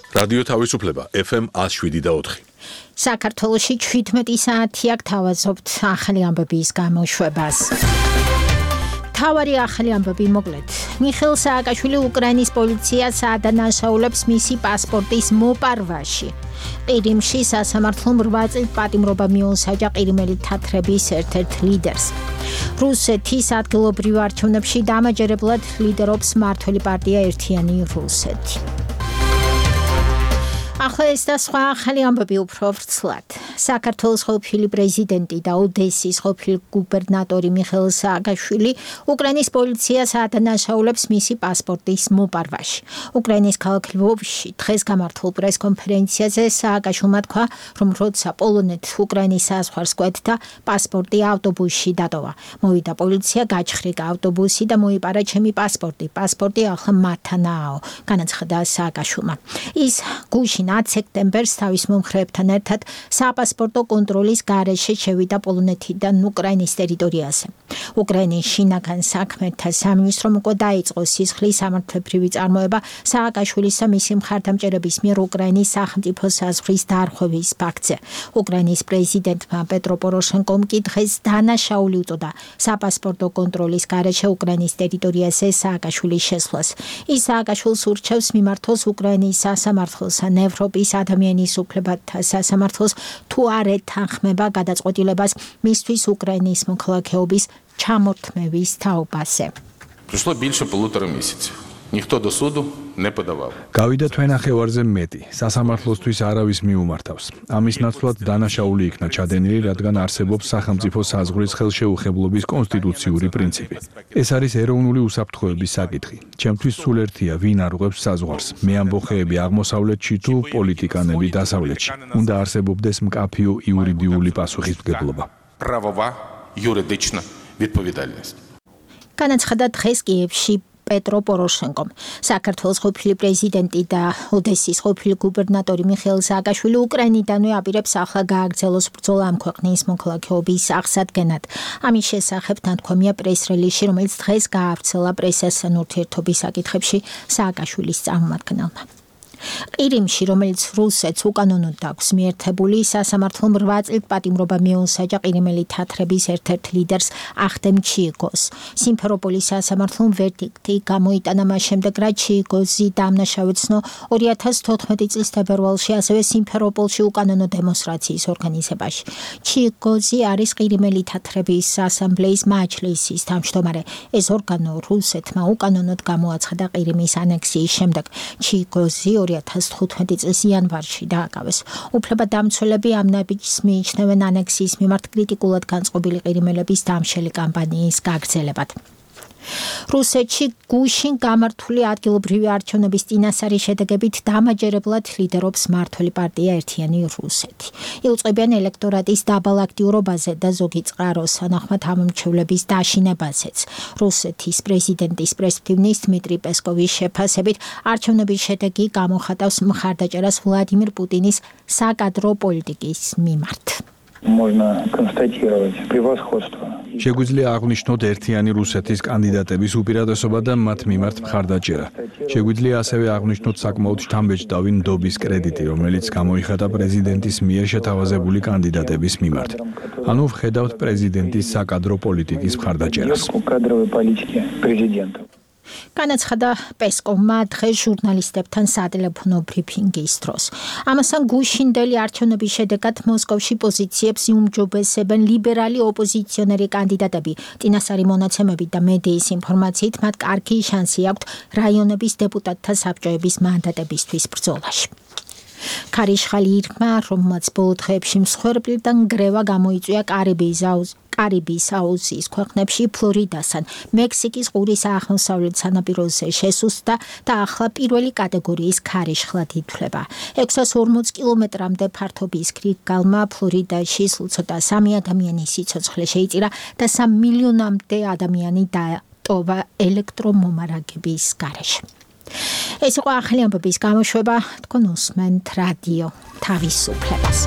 რადიო თავისუფლება FM 107.4. საქართველოში 17 საათი აქ თავაზობთ ახალი ამბების გამოშვებას. თავარი ახალი ამბები მოკლედ. მიხეილ სააკაშვილი უკრაინის პოლიციას ადანაშაულებს მისი პასპორტის მოპარვაში. ყირიმში სასამართლომ 8 წლის პატიმრობა მიუსაჯა ყირიმელი თათრების ერთ-ერთ ლიდერს. რუსეთის ადგილობრივ არჩევნებში დამაჯერებლად ლიდერობს მმართველი პარტია ერთიანი რუსეთი. ახლა ეს და სხვა ახალი ამბები უფრო ვრცლად. საქართველოს ყოფილი პრეზიდენტი და ოდესის ყოფილი გუბერნატორი მიხეილ სააკაშვილი უკრაინის პოლიციას ადანაშაულებს მისი პასპორტის მოპარვაში. უკრაინის ქალაქ ლვოვში დღეს გამართულ პრესკონფერენციაზე სააკაშვილმა თქვა, რომ როცა პოლონეთს უკრაინის საზღვარს კვეთდა, პასპორტი ავტობუსში დატოვა. მოვიდა პოლიცია, გაჩხრიკა ავტობუსი და მოიპარა ჩემი პასპორტი. პასპორტი ახლა მათთანაო, განაცხადა სააკაშვილმა. ის გუშინ 10 სექტემბერს თავის მომხრეებთან ერთად საპასპორტო კონტროლის გარეშე შევიდა პოლონეთიდან უკრაინის ტერიტორიაზე. უკრაინის შინაგან საქმეთა სამინისტრომ უკვე დაიწყო სისხლის სამართლებრივი წარმოება სააკაშვილის და მისი მხარდამჭერების მიერ უკრაინის სახელმწიფო საზღვრის დარღვევის ფაქტზე. უკრაინის პრეზიდენტმა პეტრო პოროშენკომ კი დღეს დანაშაული უწოდა საპასპორტო კონტროლის გარეშე უკრაინის ტერიტორიაზე სააკაშვილის შესვლას. ის სააკაშვილს ურჩევს მიმართოს უკრაინის სასამართლოს ან ევროპის ადამიანის უფლებათა სასამართლოს თუ არ ეთანხმება გადაწყვეტილებას მისთვის უკრაინის მოქალაქეობის ჩამორთმევის თაობაზე. Пройшло більше 1,5 місяця. Ніхто до суду не подавав. Გავიდა თვენახევარზე მეტი. სასამართლოსთვის არავის მიუმართავს. ამის ნაცვლად დანაშაული იქნა ჩადენილი, რადგან არსებობს სახელმწიფო საზღვრის ხელშეუხებლობის კონსტიტუციური პრინციპი. ეს არის ეროვნული უსაფრთხოების საკითხი. ჩემთვის სულ ერთია, ვინ არღვევს საზღვარს. მე ამბოხეები აღმოსავლეთში თუ პოლიტიკანები დასავლეთში. უნდა არსებობდეს მკაფიო იურიდიული პასუხისმგებლობა. Правова юридична відповідальність. განაცხადა დღეს კიევში პეტრო პოროშენკომ. საქართველოს ყოფილი პრეზიდენტი და ოდესის ყოფილი გუბერნატორი მიხეილ სააკაშვილი უკრაინიდანვე აპირებს ახლა გააგრძელოს ბრძოლა ამ ქვეყნის მოქალაქეობის აღსადგენად. ამის შესახებ ნათქვამია პრეს-რელიზში, რომელიც დღეს გაავრცელა პრესასთან ურთიერთობის საკითხებში სააკაშვილის წარმომადგენელმა. ყირიმში, რომელიც რუსეთს უკანონოდ აქვს მიერთებული, სასამართლომ 8 წლის პატიმრობა მიუსაჯა ყირიმელი თათრების ერთ-ერთ ლიდერს ახდემ ჩიიგოს. სიმფეროპოლის სასამართლომ ვერდიქტი გამოიტანა მას შემდეგ, რაც ჩიიგოზი დამნაშავედ ცნო 2014 წლის თებერვალში ასევე სიმფეროპოლში უკანონო დემონსტრაციის ორგანიზებაში. ჩიიგოზი არის ყირიმელი თათრების ასამბლეის მაჯლისის თავმჯდომარე. ეს ორგანო რუსეთმა უკანონოდ გამოაცხადა ყირიმის ანექსიის შემდეგ. ჩიიგოზი 2015 წლის იანვარში დააკავეს. უფლებადამცველები ამ ნაბიჯს მიიჩნევენ ანექსიის მიმართ კრიტიკულად განწყობილი ყირიმელების დამშელი კამპანიის გაგრძელებად. რუსეთში გუშინ გამართული ადგილობრივი არჩევნების წინასწარი შედეგებით დამაჯერებლად ლიდერობს მმართველი პარტია ერთიანი რუსეთი. იუწყებიან ელექტორატის დაბალ აქტიურობაზე და ზოგი წყაროს თანახმად ამომრჩევლების დაშინებაზეც. რუსეთის პრეზიდენტის პრესმდივნის დმიტრი პესკოვის შეფასებით არჩევნების შედეგი გამოხატავს მხარდაჭერას ვლადიმირ პუტინის საკადრო პოლიტიკის მიმართ. Можно констатировать превосходство. შეგვიძლია აღვნიშნოთ ერთიანი რუსეთის კანდიდატების უპირატესობა და მათ მიმართ მხარდაჭერა. შეგვიძლია ასევე აღვნიშნოთ საკმაოდ შთამბეჭდავი ნდობის კრედიტი, რომელიც გამოიხატა პრეზიდენტის მიერ შეთავაზებული კანდიდატების მიმართ. ანუ ვხედავთ პრეზიდენტის საკადრო პოლიტიკის მხარდაჭერას. განაცხადა პესკოვმა დღეს ჟურნალისტებთან სატელეფონო ბრიფინგის დროს. ამასთან გუშინდელი არჩევნების შედეგად მოსკოვში პოზიციებს იუმჯობესებენ ლიბერალი ოპოზიციონერი კანდიდატები. წინასწარი მონაცემებით და მედიის ინფორმაციით მათ კარგი შანსი აქვთ რაიონების დეპუტატთა საბჭოების მანდატებისთვის ბრძოლაში. ქარიშხალი ირმა, რომელმაც ბოლო დღეებში მსხვერპლიდან ნგრევა გამოიწვია კარიბის აუზის ქვეყნებში ფლორიდასთან, მექსიკის ყურის აღმოსავლეთ სანაპიროზე შესუსტდა და ახლა პირველი კატეგორიის ქარიშხლად ითვლება. 640 კილომეტრამდე ფართობის გალმა ფლორიდაში სულ ცოტა 3 ადამიანის სიცოცხლე შეიწირა და 3 მილიონამდე ადამიანი დატოვა ელექტრომომარაგების გარეშე. ეს იყო ახალი ამბების გამოშვება, თქვენ უსმენთ რადიო თავისუფლებას.